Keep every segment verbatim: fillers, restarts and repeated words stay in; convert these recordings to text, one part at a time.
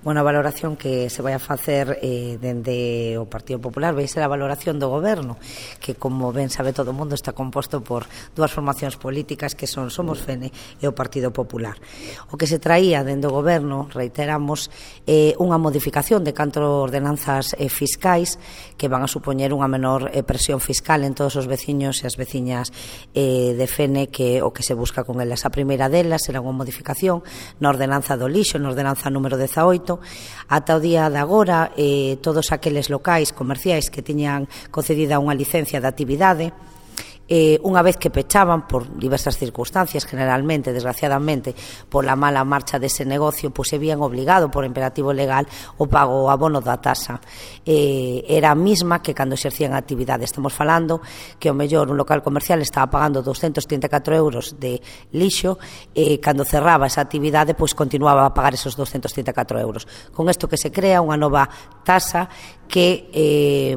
Bueno, a valoración que se vai a facer eh, dende o Partido Popular vai ser a valoración do Goberno, que, como ben sabe todo o mundo, está composto por dúas formacións políticas que son Somos Fene e o Partido Popular. O que se traía dende o Goberno, reiteramos, eh, unha modificación de catro ordenanzas eh, fiscais que van a supoñer unha menor eh, presión fiscal en todos os veciños e as veciñas eh, de Fene, que o que se busca con elas. A primeira delas será unha modificación na ordenanza do lixo, na ordenanza número dezaoito. Ata o día de agora, eh, todos aqueles locais comerciais que tiñan concedida unha licencia de actividade, Eh, unha vez que pechaban por diversas circunstancias, generalmente, desgraciadamente, pola mala marcha dese negocio, pois se vían obligado por imperativo legal o pago o abono da tasa. Eh, era a mesma que cando exercían a actividade. Estamos falando que o mellor un local comercial estaba pagando doscentos trinta e catro euros de lixo e eh, cando cerraba esa actividade, pois continuaba a pagar esos doscentos trinta e catro euros. Con isto que se crea unha nova tasa que eh,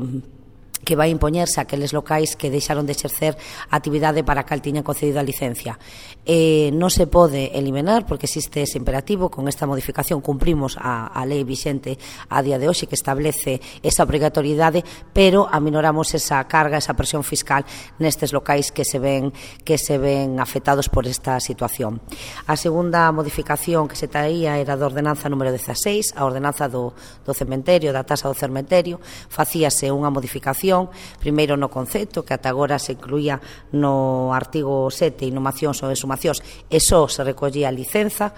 que vai impoñerse a aqueles locais que deixaron de exercer a actividade para a cal tiñan concedido a licencia. Eh, non se pode eliminar porque existe ese imperativo. Con esta modificación cumprimos a, a lei vixente a día de hoxe que establece esa obrigatoriedade, pero aminoramos esa carga, esa presión fiscal nestes locais que se ven que se ven afectados por esta situación. A segunda modificación que se traía era da ordenanza número dezaseis, a ordenanza do, do cementerio, da tasa do cementerio. Facíase unha modificación primeiro no concepto, que ata agora se incluía no artigo sete, inhumacións ou exhumacións, e só se recollía a licenza.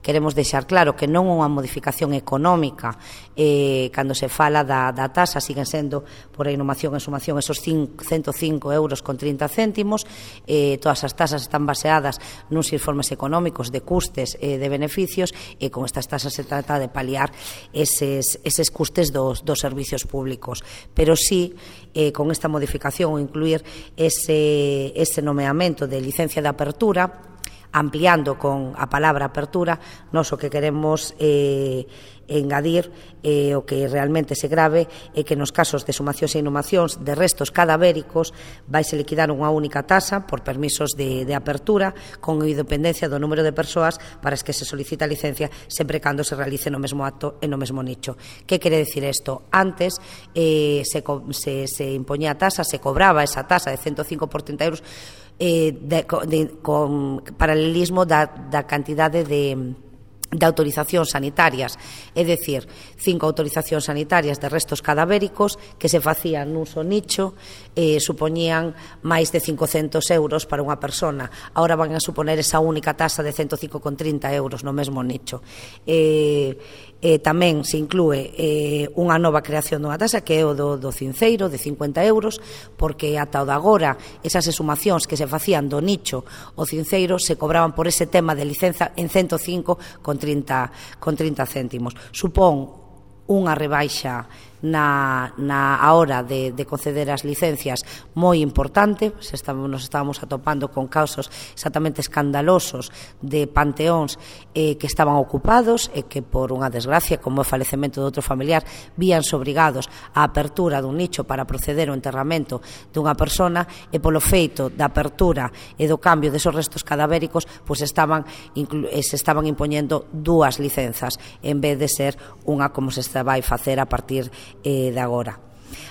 Queremos deixar claro que non é unha modificación económica. Eh, cando se fala da, da tasa, siguen sendo por a inhumación e exhumación esos ciento cinco euros con trinta céntimos. Eh, todas as tasas están baseadas nuns informes económicos de custes e de beneficios, e con estas tasas se trata de paliar eses, eses custes dos, dos servicios públicos. Pero sí, eh, con esta modificación, incluir ese, ese nomeamento de licencia de apertura, ampliando con a palabra apertura, nós o que queremos eh, engadir eh, o que realmente se grave é que nos casos de exhumacións e inhumacións de restos cadavéricos vaise liquidar unha única tasa por permisos de, de apertura con independencia do número de persoas para as que se solicita a licencia, sempre cando se realice no mesmo acto e no mesmo nicho. Que quere decir isto? Antes eh, se, se, se impoñía a tasa, se cobraba esa tasa de ciento cinco por trinta euros Eh, de, de, con paralelismo da, da cantidade de, de autorizacións sanitarias, é dicir, cinco autorizacións sanitarias de restos cadavéricos que se facían nun só nicho, eh, supoñían máis de cincocentos euros para unha persona. Ahora van a suponer esa única tasa de ciento cinco con trinta euros no mesmo nicho. Eh, Eh, tamén se inclúe eh, unha nova creación dunha tasa que é o do, do cinceiro de cincuenta euros, porque ata o de agora esas exhumacións que se facían do nicho o cinceiro se cobraban por ese tema de licenza en ciento cinco con trinta céntimos. Supón unha rebaixa na, na a hora de, de conceder as licencias moi importante. Se estamos, nos estábamos atopando con casos exactamente escandalosos de panteóns eh, que estaban ocupados e que por unha desgracia, como o falecemento de outro familiar, víanse obrigados á apertura dun nicho para proceder ao enterramento dunha persona, e polo feito da apertura e do cambio desos restos cadavéricos, pois estaban se estaban impoñendo dúas licenzas en vez de ser unha como se vai facer a partir Eh, de agora.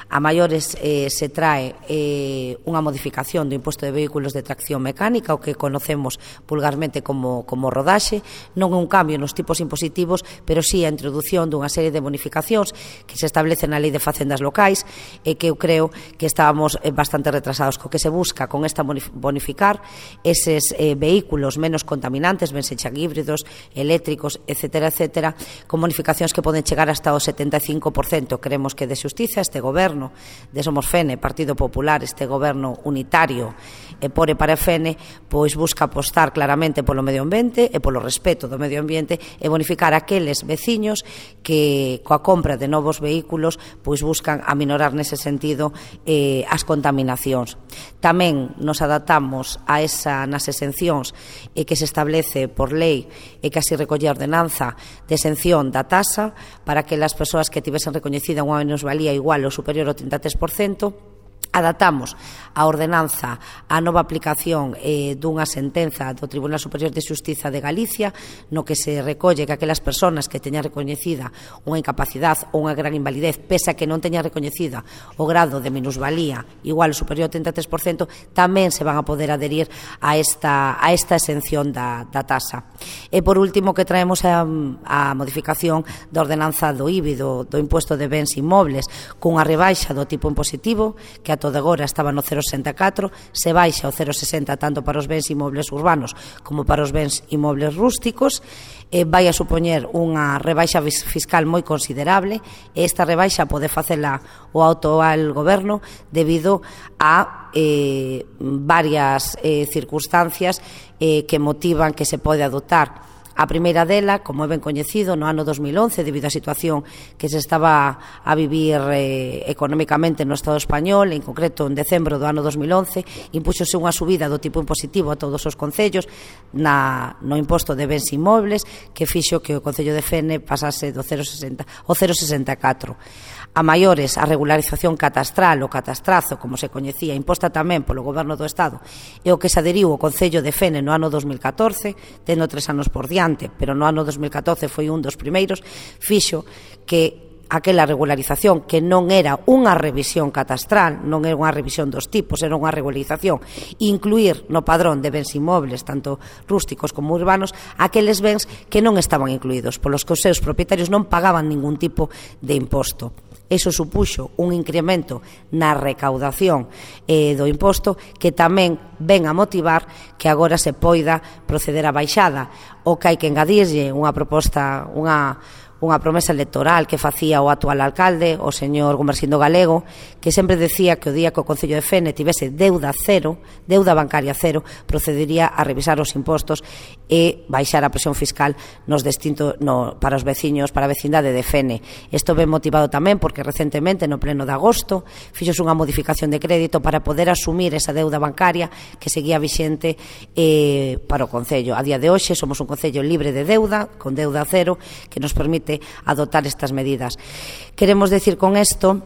A maiores eh, se trae eh, unha modificación do imposto de vehículos de tracción mecánica, o que conocemos vulgarmente como, como rodaxe. Non é un cambio nos tipos impositivos, pero sí a introdución dunha serie de bonificacións que se establecen na Lei de Facendas Locais, e que eu creo que estábamos eh, bastante retrasados. Co que se busca con esta bonificar eses eh, vehículos menos contaminantes, ben sexan híbridos, eléctricos, etcétera, etcétera, con bonificacións que poden chegar hasta o setenta e cinco por cento. Queremos que de xustiza este goberno de Somos Fene, Partido Popular, este goberno unitario e por e para Fene, pois busca apostar claramente polo medio ambiente e polo respeto do medio ambiente, e bonificar aqueles veciños que coa compra de novos vehículos pois buscan aminorar nese sentido eh, as contaminacións. Tamén nos adaptamos a esa nas exencións e que se establece por lei e que así recolle a ordenanza de exención da tasa para que as persoas que tivesen recoñecida unha minusvalía igual ou superior ao trinta e tres por cento adaptamos a ordenanza á nova aplicación eh, dunha sentenza do Tribunal Superior de Xustiza de Galicia, no que se recolle que aquelas persoas que teñan recoñecida unha incapacidade ou unha gran invalidez, pese a que non teñan recoñecida o grado de minusvalía igual ou superior ao trinta e tres por cento, tamén se van a poder adherir a esta, a esta exención da, da tasa. E por último, que traemos a, a modificación da ordenanza do I B I, do, do imposto de bens inmobles, cunha rebaixa do tipo impositivo, que a toda agora estaba no cero coma sesenta e catro, se baixa ao cero coma sesenta tanto para os bens inmobles urbanos como para os bens inmobles rústicos. Eh, vai a supoñer unha rebaixa fiscal moi considerable, e esta rebaixa pode facela o actual goberno debido a eh, varias eh, circunstancias eh, que motivan que se pode adoptar. A primeira dela, como é ben coñecido, no ano dos mil once, debido á situación que se estaba a vivir eh, económicamente no Estado español, en concreto en decembro do ano dos mil once, impúxose unha subida do tipo impositivo a todos os concellos na, no imposto de bens inmobles, que fixo que o Concello de Fene pasase do cero coma sesenta ao cero coma sesenta e catro. A maiores, a regularización catastral, o catastrazo, como se coñecía, imposta tamén polo Goberno do Estado, e o que se adheriu o Concello de Fene no ano dos mil catorce, tendo tres anos por diante, pero no ano dos mil catorce foi un dos primeiros, fixo que aquela regularización, que non era unha revisión catastral, non era unha revisión dos tipos, era unha regularización, incluir no padrón de bens inmobles, tanto rústicos como urbanos, aqueles bens que non estaban incluídos, polos que os seus propietarios non pagaban ningún tipo de imposto. Eso supuxo un incremento na recaudación eh, do imposto, que tamén ven a motivar que agora se poida proceder a baixada. O que hai que engadirlle unha proposta, unha unha promesa electoral que facía o actual alcalde, o señor Gumersindo Galego, que sempre decía que o día que o Concello de Fene tivese deuda cero, deuda bancaria cero, procedería a revisar os impostos e baixar a presión fiscal nos distintos, no, para os veciños, para a vecindade de Fene. Isto ben motivado tamén porque recentemente, no pleno de agosto, fixose unha modificación de crédito para poder asumir esa deuda bancaria que seguía vixente eh, para o Concello. A día de hoxe somos un Concello libre de deuda, con deuda cero, que nos permite adoptar estas medidas. Queremos decir con isto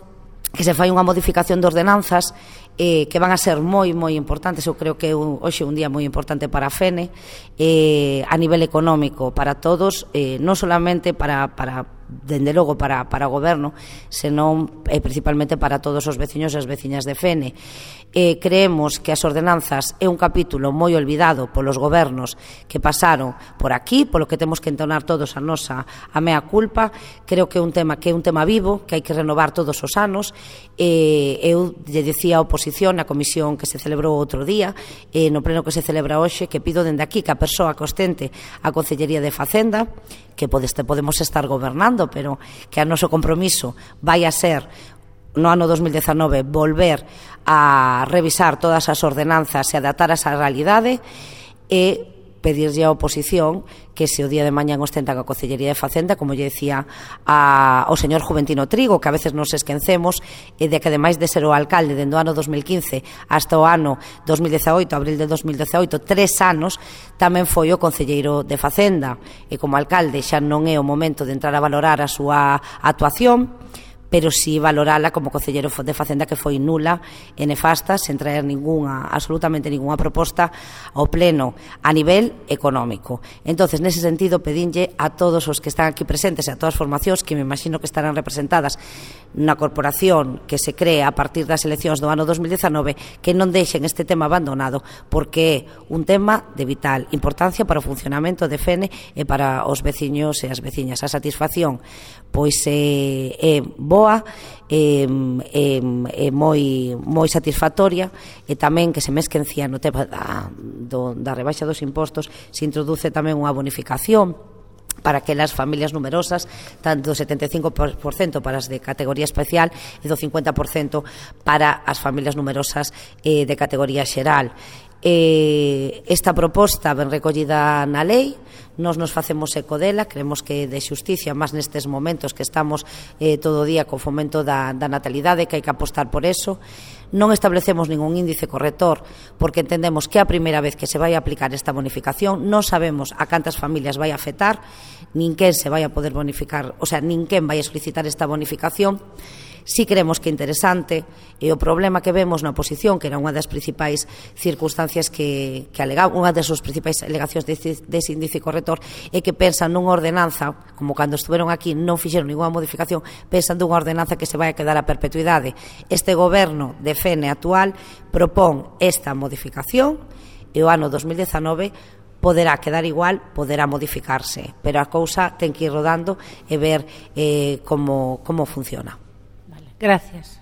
que se fai unha modificación de ordenanzas eh, que van a ser moi, moi importantes. Eu creo que hoxe é un día moi importante para a Fene, eh, a nivel económico para todos, eh, non solamente para, para dende logo para, para o goberno, senón eh, principalmente para todos os veciños e as veciñas de Fene. Eh, creemos que as ordenanzas é un capítulo moi olvidado polos gobernos que pasaron por aquí, polo que temos que entonar todos a nosa a mea culpa. Creo que é un tema que é un tema vivo, que hai que renovar todos os anos. Eh, eu lle dicía a oposición na comisión que se celebrou outro día, eh, no pleno que se celebra hoxe, que pido dende aquí que a persoa que ostente a Concellería de Facenda, que podemos estar gobernando, pero que a noso compromiso vai a ser no ano dos mil dezanove volver a revisar todas as ordenanzas e adaptar a esa realidade, e pedirlle á oposición que se o día de mañán ostentan a Concellería de Facenda, como lle decía a, ao señor Juventino Trigo, que a veces nos esquecemos, e de que ademais de ser o alcalde dende o ano dos mil quince hasta o ano dos mil dezaoito, abril de dos mil dezaoito, tres anos, tamén foi o concelleiro de Facenda, e como alcalde xa non é o momento de entrar a valorar a súa actuación, pero si valorala como concelleiro de Facenda, que foi nula e nefasta, sen traer ninguna, absolutamente ninguna proposta ao pleno a nivel económico. Entonces, nese sentido, pedinlle a todos os que están aquí presentes e a todas as formacións que me imagino que estarán representadas na corporación que se crea a partir das eleccións do ano dos mil dezanove, que non deixen este tema abandonado, porque é un tema de vital importancia para o funcionamento de Fene e para os veciños e as veciñas. A satisfacción pois é, é boa, é, é, é moi, moi satisfactoria, e tamén que se me esquecía no tema da, do, da rebaixa dos impostos, se introduce tamén unha bonificación para aquelas familias numerosas, tanto do setenta e cinco por cento para as de categoría especial e do cincuenta por cento para as familias numerosas eh, de categoría xeral. Eh, esta proposta ben recollida na lei, nos nos facemos eco dela, creemos que de xusticia, máis nestes momentos que estamos eh, todo o día co fomento da, da natalidade, que hai que apostar por eso. Non establecemos ningún índice corrector, porque entendemos que é a primeira vez que se vai a aplicar esta bonificación, non sabemos a cantas familias vai a afectar, ninguén se vai a poder bonificar, o sea, ninguén vai a solicitar esta bonificación. Si creemos que é interesante, e o problema que vemos na oposición, que era unha das principais circunstancias que, que alegaba, unha das súas principais alegacións dese de índice corrector, é que pensan nunha ordenanza, como cando estuveron aquí non fixeron ninguna modificación, pensan nunha ordenanza que se vai a quedar a perpetuidade. Este goberno de F N actual propón esta modificación e o ano dos mil dezanove poderá quedar igual, poderá modificarse, pero a cousa ten que ir rodando e ver eh, como, como funciona. Gracias.